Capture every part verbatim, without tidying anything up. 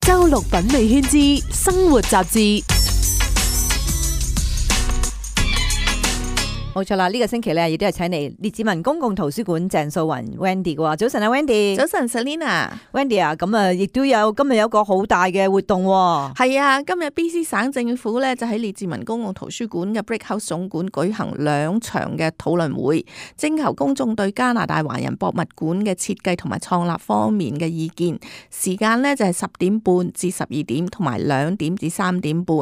周六品味圈之生活雜誌。冇錯啦，呢、這個星期咧亦都係請嚟列治文公共圖書館鄭素雲 Wendy 嘅喎。早晨啊 Wendy。早晨 Selina。Wendy 啊，咁啊亦都有今日有個好大嘅活動喎。係啊，今日 B C 省政府咧就喺列治文公共圖書館嘅 Brick House 總館舉行兩場嘅討論會，徵求公眾對加拿大華人博物館嘅設計同埋創立方面嘅意見。時間呢就係十點半至十二點，同埋兩點至三點半。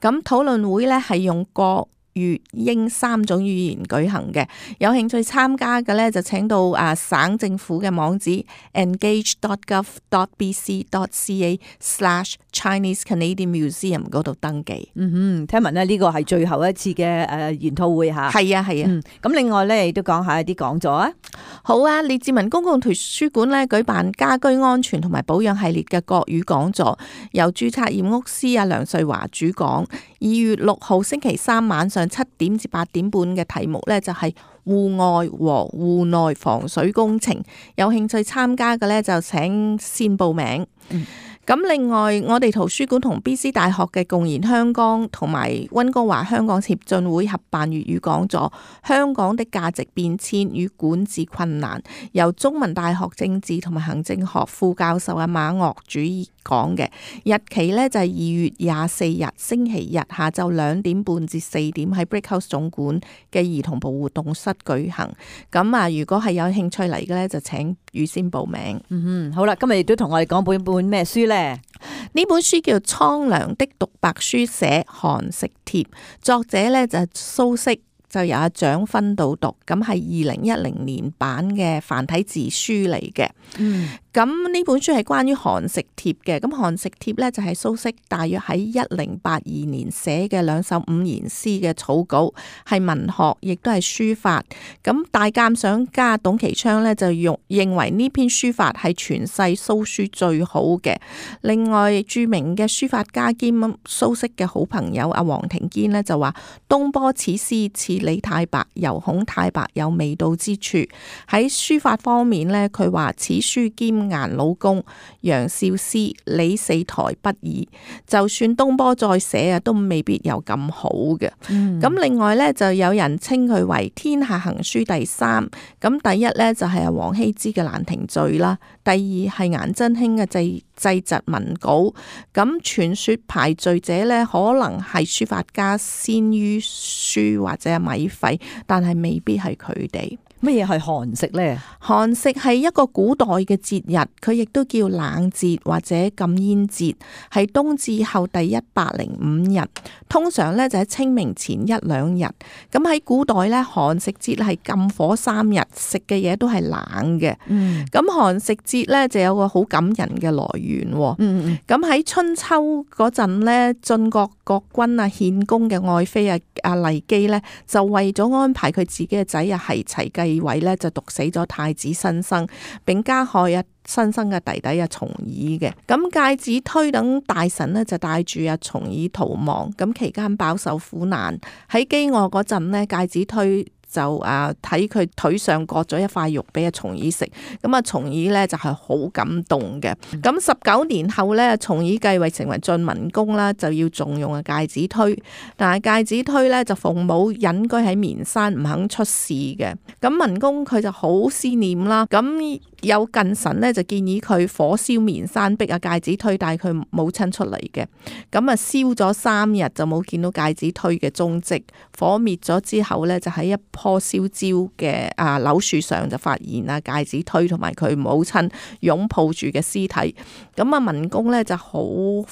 咁討論會咧係用國粵英三種語言舉行嘅，有興趣參加嘅咧就請到啊省政府嘅網址 engage dot gov dot b c dot c a slash Chinese Canadian Museum 嗰度登記。嗯哼，聽聞咧呢個係最後一次嘅誒研討會嚇。係啊係啊。咁、嗯、另外咧亦都講下一啲講座啊。好啊，列治文公共圖書館咧舉辦家居安全同埋保養系列嘅國語講座，由註冊驗屋師啊梁瑞華主講。二月六號星期三晚上七點至八點半嘅題目咧就係戶外和戶內防水工程，有興趣參加嘅咧就請先報名。嗯咁另外，我哋圖書館同 B C 大學嘅共研香港同埋溫哥華香港協進會合辦粵語講座《香港的價值變遷與管治困難》，由中文大學政治同埋行政學副教授阿馬岳主講嘅。日期呢就係二月廿四日星期日下晝兩點半至四點喺 Brick House 總館嘅兒童部活動室舉行。咁啊，如果係有興趣嚟嘅呢，就請預先報名。嗯哼，好啦，今日亦都同我哋講本本咩書呢？呢本書叫《蒼涼的獨白書寫韓食帖》，作者咧就係蘇軾，就由阿蔣勳導讀，咁係二零一零年版嘅繁體字書嚟嘅。嗯。咁呢本書係關於韓食帖嘅，咁韓食帖咧就係蘇軾大約喺一零八二年寫嘅兩首五言詩嘅草稿，係文學，亦都係書法。咁大鑑賞家董其昌咧就用認為呢篇書法係全世蘇書最好嘅。另外著名嘅書法家兼蘇軾嘅好朋友阿黃庭堅咧就話：東坡此詩似李太白，猶恐太白有味道之處。喺書法方面咧，佢話此書兼顏老公、楊少師、李四台不二，就算東坡再寫啊，都未必有咁好嘅。咁、嗯、另外咧，就有人稱佢為天下行書第三。咁第一咧就係阿王羲之嘅《蘭亭序》啦，第二係顏真卿嘅祭祭侄文稿。咁傳說排序者咧，可能係書法家先於書或者米芾，但係未必係佢哋。乜嘢係韓食呢？韓食係一個古代嘅節日，佢亦都叫冷節或者禁煙節，係冬至後第一百零五日，通常咧就喺清明前一兩日。咁喺古代咧，韓食節係禁火三日，食嘅嘢都係冷嘅。嗯，咁韓食節咧就有個好感人嘅來源。嗯，咁喺春秋嗰陣咧，晉國國君啊獻公嘅愛妃啊阿酈姬咧，就為咗安排佢自己嘅仔啊係齊繼位咧，就毒死咗太子申生，並加害啊申生嘅弟弟啊重耳嘅。咁介子推等大臣呢，就帶住啊重耳逃亡，咁期間飽受苦難。喺飢餓嗰陣呢，介子推就啊睇佢腿上割咗一塊肉俾阿重耳食，咁啊重耳咧就係好感動嘅。咁十九年後咧，重耳繼位成為晉文公啦，就要重用啊介子推，但係介子推咧就奉母隱居喺綿山，唔肯出仕嘅。咁文公佢就好思念啦，咁有近臣咧就建議佢火燒綿山，逼阿介子推帶佢母親出嚟嘅。咁啊燒咗三日就冇見到介子推嘅蹤跡，火滅咗之後咧就喺一棵燒焦嘅啊柳樹上就發現啊介子推同埋佢母親擁抱住嘅屍體，咁啊文公咧就好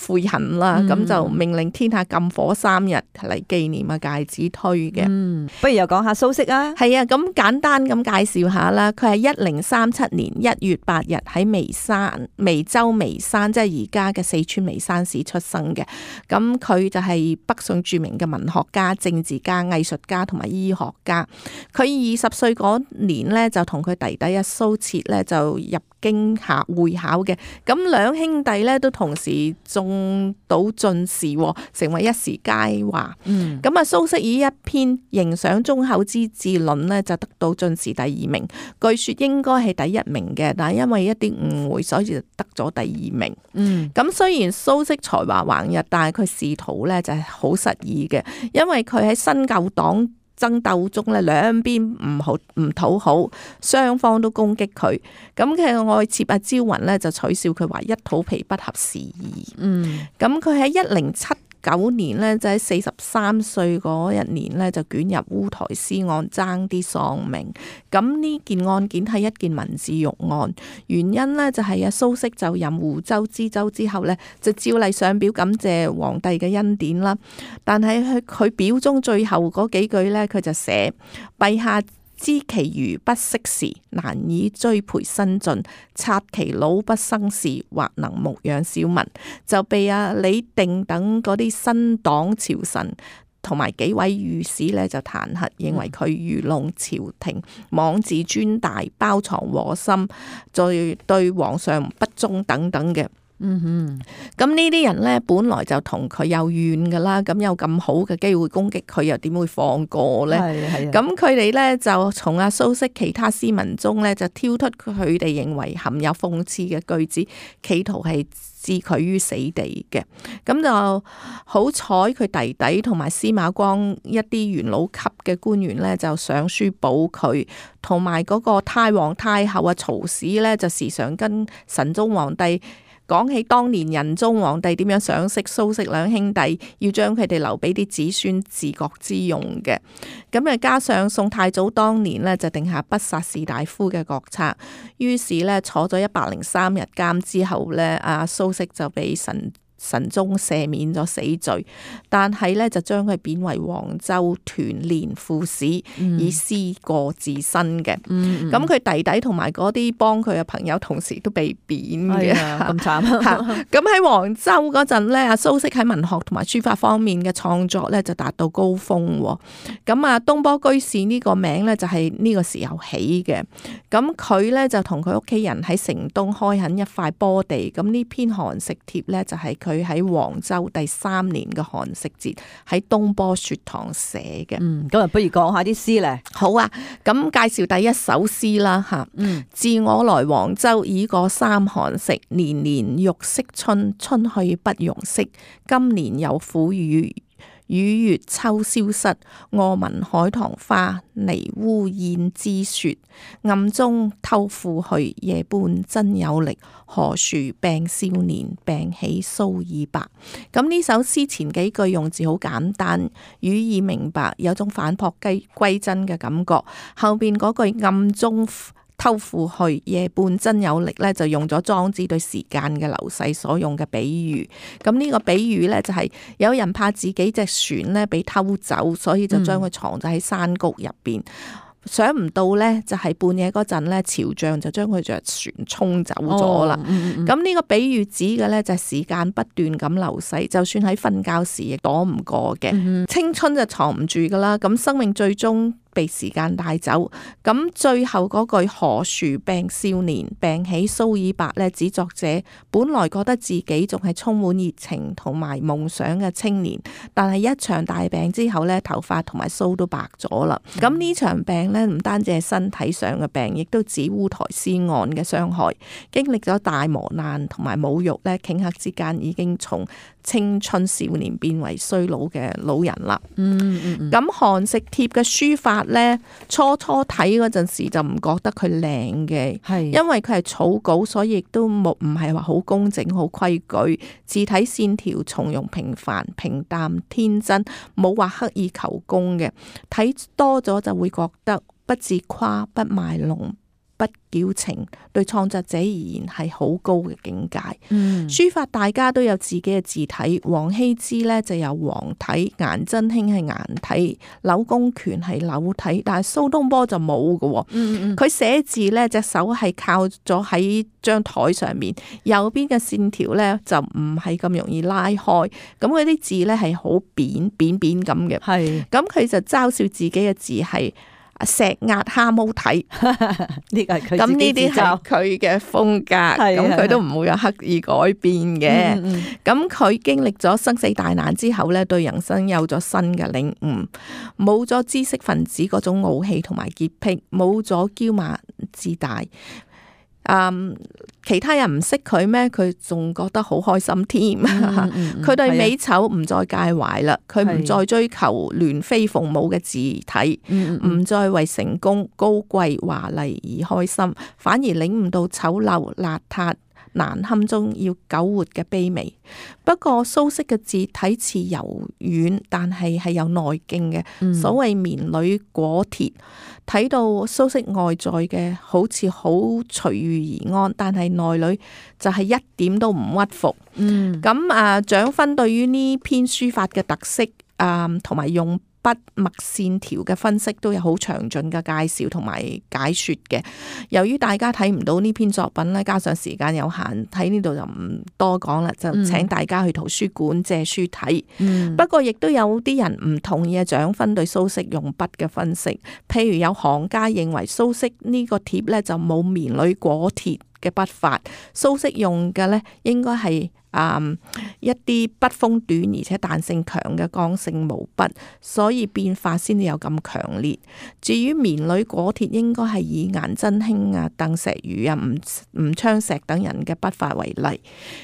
悔恨啦，咁、嗯、就命令天下禁火三日嚟紀念啊介子推嘅。嗯，不如又講下蘇軾啊。係啊，咁簡單咁介紹下啦，佢係一零三七年一月八日喺眉山眉州眉山，即係而家嘅四川眉山市出生嘅。咁佢就係北宋著名嘅文學家、政治家、藝術家同埋醫學家。佢二十歲嗰年咧，就同佢弟弟阿蘇轍咧就入京考會考嘅。咁兩兄弟咧都同時中到進士，成為一時佳話。嗯，咁啊，蘇軾以一篇《迎上忠厚之治論》咧就得到進士第二名，據說應該係第一名嘅，但係因為一啲誤會，所以就得咗第二名。嗯，咁雖然蘇軾才華橫溢，但係佢仕途咧就係好失意嘅，因為佢喺新舊黨爭鬥中咧，兩邊唔好唔討好，雙方都攻擊佢。咁佢愛妾阿朝雲咧就取笑佢話一肚皮不合時宜。嗯，咁佢喺一零七九年咧，就喺四十三歲嗰一年咧，就捲入烏台詩案，爭啲喪命。咁呢件案件係一件文字獄案，原因呢就係阿蘇軾就任湖州知州之後呢，就照例上表感謝皇帝嘅恩典啦。但係佢佢表中最後嗰幾句呢，佢就寫陛下知其餘不適時，難以追培新進，察其老不生事，或能牧養小民，就被阿李定等嗰啲新黨朝臣同埋幾位御史咧就彈劾，認為佢愚弄朝廷，妄自尊大，包藏禍心，再對皇上不忠等等嘅。嗯哼，咁呢啲人咧，本來就同佢有怨噶啦，咁有咁好嘅機會攻擊佢，又點會放過咧？係係啊。咁佢哋咧就從阿蘇軾其他詩文中咧，就挑出佢哋認為含有諷刺嘅句子，企圖係置佢於死地嘅。咁就好彩佢弟弟同埋司馬光一啲元老級嘅官員咧，就上書保佢，同埋嗰個太皇太后啊曹氏咧，就時常跟神宗皇帝講起當年仁宗皇帝點樣賞識蘇軾兩兄弟，要將佢哋留俾啲子孫治國之用嘅。咁啊，加上宋太祖當年呢就定下不殺士大夫嘅國策，於是呢坐咗一百零三日監之後呢，阿蘇軾就俾神神宗赦免咗死罪，但係咧就將佢貶為黃州團練副使，嗯、以思過自身嘅。咁佢、嗯、弟弟同埋嗰啲幫佢嘅朋友，同時都被貶嘅。咁慘。咁喺黃州嗰陣咧，阿蘇軾喺文學同埋書法方面嘅創作咧就達到高峰。咁啊，東坡居士呢個名咧就係呢個時候起嘅。咁佢咧就同佢屋企人喺城東開墾一塊坡地。咁呢篇寒食帖咧就係佢佢喺黃州第三年嘅寒食節喺東坡雪堂寫嘅。嗯，咁啊，不如講下啲詩咧。好啊，咁介紹第一首詩啦吓。嗯，自我來黃州已過三寒食，年年欲惜春，春去不容惜。今年有苦雨，雨月秋消失，我聞海棠花，泥污燕之雪。暗中偷負去，夜半真有力。何處病少年，病起鬚已白。咁呢首詩前幾句用字好簡單，語意明白，有種反璞歸真嘅感覺。後邊嗰句暗中偷負去，夜半真有力咧，就用咗莊子對時間嘅流逝所用嘅比喻。咁呢個比喻咧就係有人怕自己隻船咧被偷走，所以就將佢藏咗喺山谷入邊。想唔到咧，就係半夜嗰陣咧，潮漲就將佢隻船沖走咗啦。咁呢、哦嗯嗯、個比喻指嘅咧就係時間不斷咁流逝，就算喺瞓覺時亦躲唔過嘅。嗯、青春就藏唔住噶啦，咁生命最終被時間帶走。咁最後嗰句何處病少年，病起鬚已白咧，指作者本來覺得自己仲係充滿熱情同埋夢想嘅青年，但係一場大病之後咧，頭髮同埋鬚都白咗啦。咁呢、嗯、場病咧唔單止係身體上嘅病，亦都指烏台詩案嘅傷害。經歷咗大磨難同埋侮辱咧，頃刻之間已經從青春少年變為衰老嘅老人啦。嗯嗯嗯。咁寒食帖嘅書法咧，初初睇嗰陣時就唔覺得佢靚嘅，係因為佢係草稿，所以亦都冇唔係話好工整、好規矩，字體線條從容平凡、平淡天真，冇話刻意求工嘅。睇多咗就會覺得不自誇、不賣弄、不矯情，對創作者而言係好高嘅境界。嗯、書法大家都有自己嘅字體，王羲之咧就有黃體，顏真卿係顏體，柳公權係柳體，但係蘇東坡就冇嘅。嗯嗯，佢寫字咧隻手係靠咗喺張台上面，右邊嘅線條咧就唔係咁容易拉開，咁佢啲字咧係好扁扁扁咁嘅。係，咁佢就嘲笑自己嘅字係。石壓蝦毛體，呢個係佢咁自己呢啲係自嘲。佢嘅風格，係咁佢都唔會有刻意改變嘅。嗯嗯咁佢經歷咗生死大難之後咧，對人生有咗新嘅領悟，冇咗知識分子嗰種傲氣同埋潔癖，冇咗驕慢自大。嗯，其他人唔識佢咩？佢仲覺得好開心添。佢、嗯嗯、對美醜唔再介懷啦，佢唔再追求鸞飛鳳舞嘅自體，唔、嗯嗯、再為成功高貴華麗而開心，反而領悟到醜陋邋遢難堪中要苟活嘅卑微。不過蘇軾嘅字體似柔軟，但係係有內勁嘅。嗯、所謂綿裏裹鐵，睇到蘇軾外在嘅好似好隨遇而安，但係內裏就係一點都唔屈服。嗯，咁啊，蔣勳對於呢篇書法嘅特色啊，同埋用筆墨線條嘅分析都有好詳盡嘅介紹同埋解說嘅。由於大家睇唔到呢篇作品咧，加上時間有限，喺呢度就唔多講啦，就請大家去圖書館借書睇。嗯、不過亦都有啲人唔同意蔣勳對蘇軾用筆嘅分析，譬如有行家認為蘇軾呢個帖咧就冇綿裏裹鐵嘅筆法，蘇軾用嘅咧應該係Um, 一啲筆鋒短而且彈性強嘅剛性毛筆，所以變化先至有咁強烈。至於綿裏裹鐵，應該係以顏真卿啊、鄧石如啊、吳吳昌碩等人嘅筆法為例。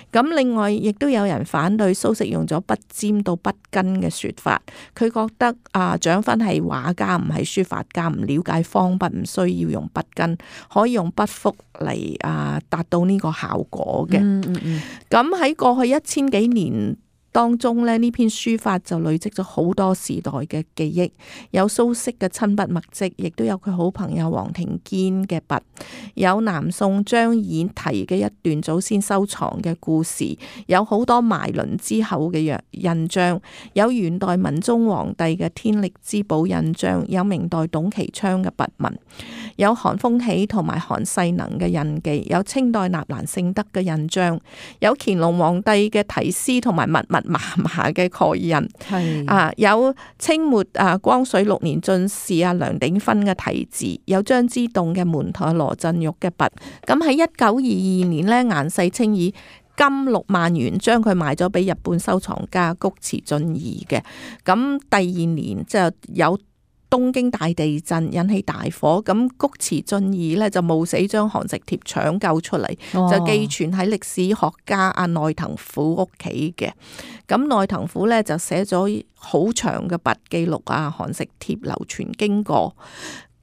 咁另外亦都有人反對蘇軾用咗筆尖到筆根嘅說法，佢覺得啊蔣勳係畫家唔係書法家，唔了解方筆，唔需要用筆根，可以用筆腹嚟啊達到呢個效果嘅。嗯嗯嗯。咁喺過去一千幾年當中咧，呢篇書法就累積咗好多時代嘅記憶，有蘇軾嘅親筆墨跡，亦都有佢好朋友黃庭堅嘅筆，有南宋張演提嘅一段祖先收藏嘅故事，有好多埋輪之後嘅印章，有元代文宗皇帝嘅天力之寶印章，有明代董其昌嘅筆紋，有韓豐喜同埋韓世能嘅印記，有清代納蘭性德嘅印章，有乾隆皇帝嘅題詩同埋密密麻麻嘅蓋印，係啊，有清末啊光緒六年進士啊梁鼎芬嘅題字，有張之洞嘅門徒羅振玉嘅筆。咁喺一九二二年呢，顏世清以金六萬元將佢賣咗俾日本收藏家菊池俊二嘅。咁第二年就有東京大地震引起大火，咁菊池俊二呢就冒死將寒食帖搶救出嚟，哦、就寄存喺歷史學家阿內藤虎屋企嘅。咁內藤虎呢就寫咗好長嘅筆記錄啊寒食帖流傳經過。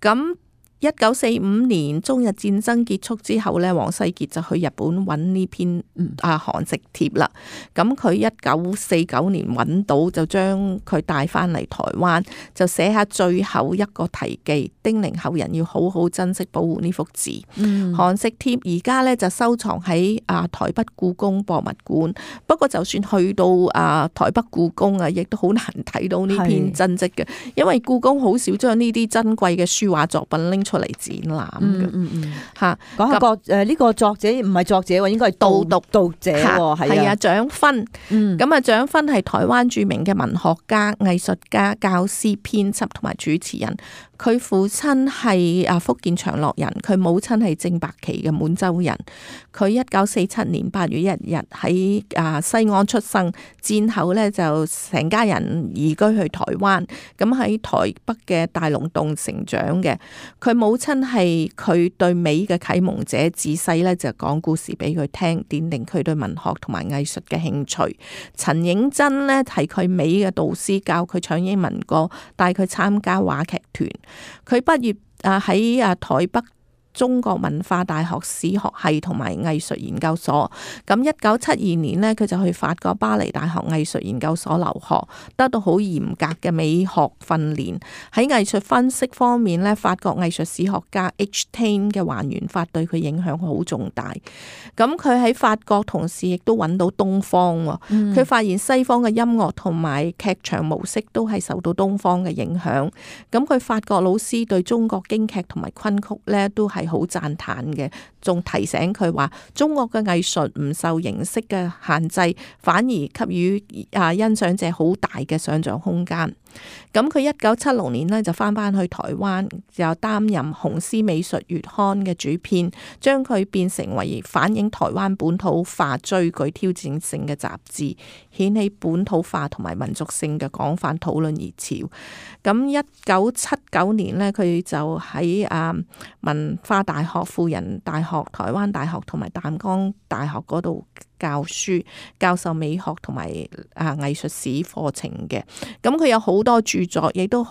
咁一九四五年中日戰爭結束之後呢，王世傑就去日本揾呢篇啊寒食帖啦。咁佢一九四九年揾到，就將佢帶翻嚟台灣，就寫下最後一個題記，叮嚀後人要好好珍惜保護呢幅字。嗯、寒食帖而家呢就收藏喺啊台北故宮博物館。不過就算去到啊台北故宮啊，亦都好難睇到呢篇真跡嘅，因為故宮好少將呢啲珍貴嘅書畫作品拎出嚟展覽嘅。嗯嗯嗯，吓講下個誒呢個作者唔係作者喎，應該係導讀讀者喎，係啊蔣勳。嗯，咁啊蔣勳係台灣著名嘅文學家、藝術家、教師、編輯同埋主持人。佢父親係啊福建長樂人，佢母親係正白旗嘅滿洲人。佢一九四七年八月一日喺啊西安出生，戰後呢就成家人移居去台灣，咁喺台北嘅大龍洞成長嘅。佢母親係佢對美嘅啟蒙者，自細呢就講故事俾佢聽，奠定佢對文學同埋藝術嘅興趣。陳映真呢係佢美嘅導師，教佢唱英文歌，帶佢參加話劇團。佢畢業啊喺啊台北中國文化大學史學系同埋藝術研究所。咁一九七二年呢，佢就去法國巴黎大學藝術研究所留學，得到好嚴格嘅美學訓練。喺藝術分析方面呢，法國藝術史學家 H. Taine 嘅還原法對佢影響好重大。咁佢喺法國同時亦都揾到東方喎。佢、嗯、發現西方嘅音樂同埋劇場模式都係受到東方嘅影響。咁佢法國老師對中國京劇同埋昆曲呢都係好讚嘆嘅，仲提醒佢話，中國嘅藝術唔受形式嘅限制，反而給予啊欣賞者好大嘅想像空間。咁佢一九七六年呢，就翻返去台灣，就擔任《雄獅美術月刊》嘅主編，將佢變成為反映台灣本土化最具挑戰性嘅雜誌，掀起本土化同埋民族性嘅廣泛討論熱潮。咁一九七九年呢，佢就喺啊文化大學、輔仁大學、台灣大學同埋淡江大學嗰度教書，教授美學同埋啊藝術史課程嘅。咁佢有好多著作，亦都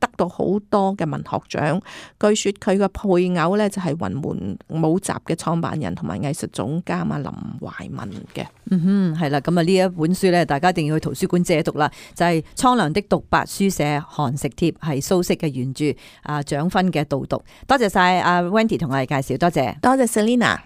得到好多嘅文學獎。據說佢嘅配偶呢，就係雲門舞集嘅創辦人同埋藝術總監啊林懷民嘅。嗯哼，係啦，咁啊呢一本書呢，大家一定要去圖書館借讀啦。就係、是《蒼涼的獨白》，書寫寒食帖，係蘇軾嘅原著，啊蔣勳嘅導讀。多謝晒阿 Wendy 同我哋介紹，多謝，多謝 Selina。